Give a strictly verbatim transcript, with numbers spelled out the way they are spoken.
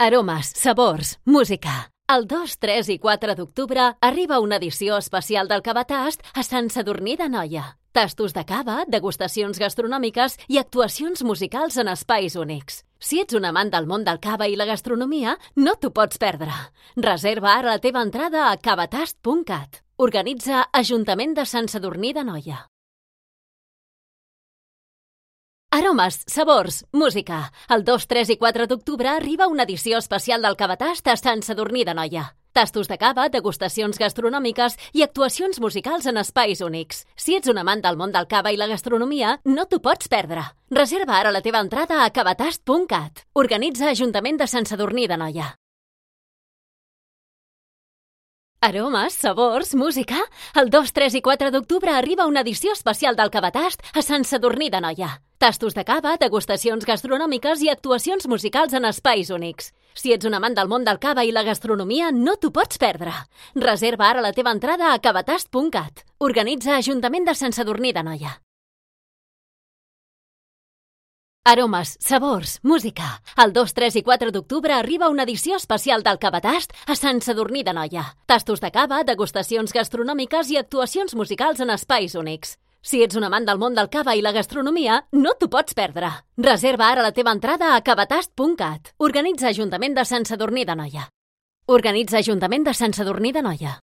Aromes, sabors, música. El dos, tres i quatre d'octubre arriba una edició especial del Cavatast a Sant Sadurní d'Anoia. Tastos de cava, degustacions gastronòmiques i actuacions musicals en espais únics. Si ets un amant del món del cava i la gastronomia, no t'ho pots perdre. Reserva ara la teva entrada a cavatast punt cat. Organitza Ajuntament de Sant Sadurní d'Anoia. Aromes, sabors, música. El dos, tres i quatre d'octubre arriba una edició especial del Cavatast a Sant Sadurní d'Anoia. Tastos de cava, degustacions gastronòmiques i actuacions musicals en espais únics. Si ets un amant del món del cava i la gastronomia, no t'ho pots perdre. Reserva ara la teva entrada a cavatast punt cat. Organitza Ajuntament de Sant Sadurní d'Anoia. Aromes, sabors, música. El dos, tres i quatre d'octubre arriba una edició especial del Cavatast a Sant Sadurní d'Anoia. Tastos de cava, degustacions gastronòmiques i actuacions musicals en espais únics. Si ets un amant del món del cava i la gastronomia, no t'ho pots perdre. Reserva ara la teva entrada a cavatast punt cat. Organitza Ajuntament de Sant Sadurní d'Anoia. Aromes, sabors, música. El dos, tres i quatre d'octubre arriba una edició especial del Cavatast a Sant Sadurní d'Anoia. Tastos de cava, degustacions gastronòmiques i actuacions musicals en espais únics. Si ets un amant del món del cava i la gastronomia, no t'ho pots perdre. Reserva ara la teva entrada a cavatast punt cat. Organitza Ajuntament de Sant Sadurní d'Anoia. Organitza Ajuntament de Sant Sadurní d'Anoia.